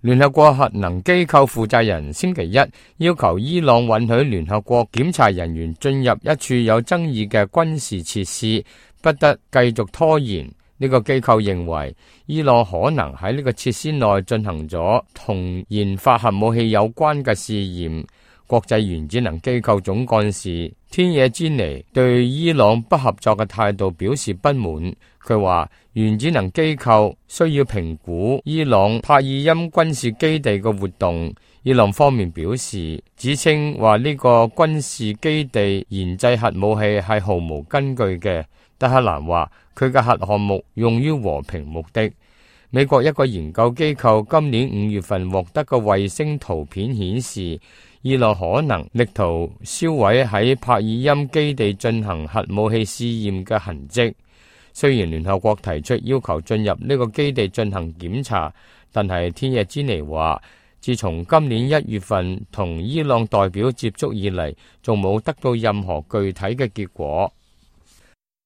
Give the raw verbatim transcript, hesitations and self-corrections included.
聯合國核能機構負責人星期一要求伊朗允許聯合國檢查人員進入一處有爭議嘅軍事設施，不得繼續拖延。呢個機構認為伊朗可能喺呢個設施內進行咗同研發核武器有關嘅試驗。國際原子能機構總幹事天野之尼對伊朗不合作嘅態度表示不滿。佢話原子能機構需要評估伊朗帕爾欽軍事基地嘅活動。伊朗方面表示，指稱話呢個軍事基地研製核武器係毫無根據嘅。德黑蘭話佢嘅核項目用於和平目的。美國一個研究機構今年五月份獲得嘅衛星圖片顯示，伊朗可能力圖銷毀喺帕爾欽基地進行核武器試驗嘅痕跡。雖然聯合國提出要求進入呢個基地進行檢查，但係天野之尼話，自從今年一月份同伊朗代表接觸以嚟，仲冇得到任何具體嘅結果。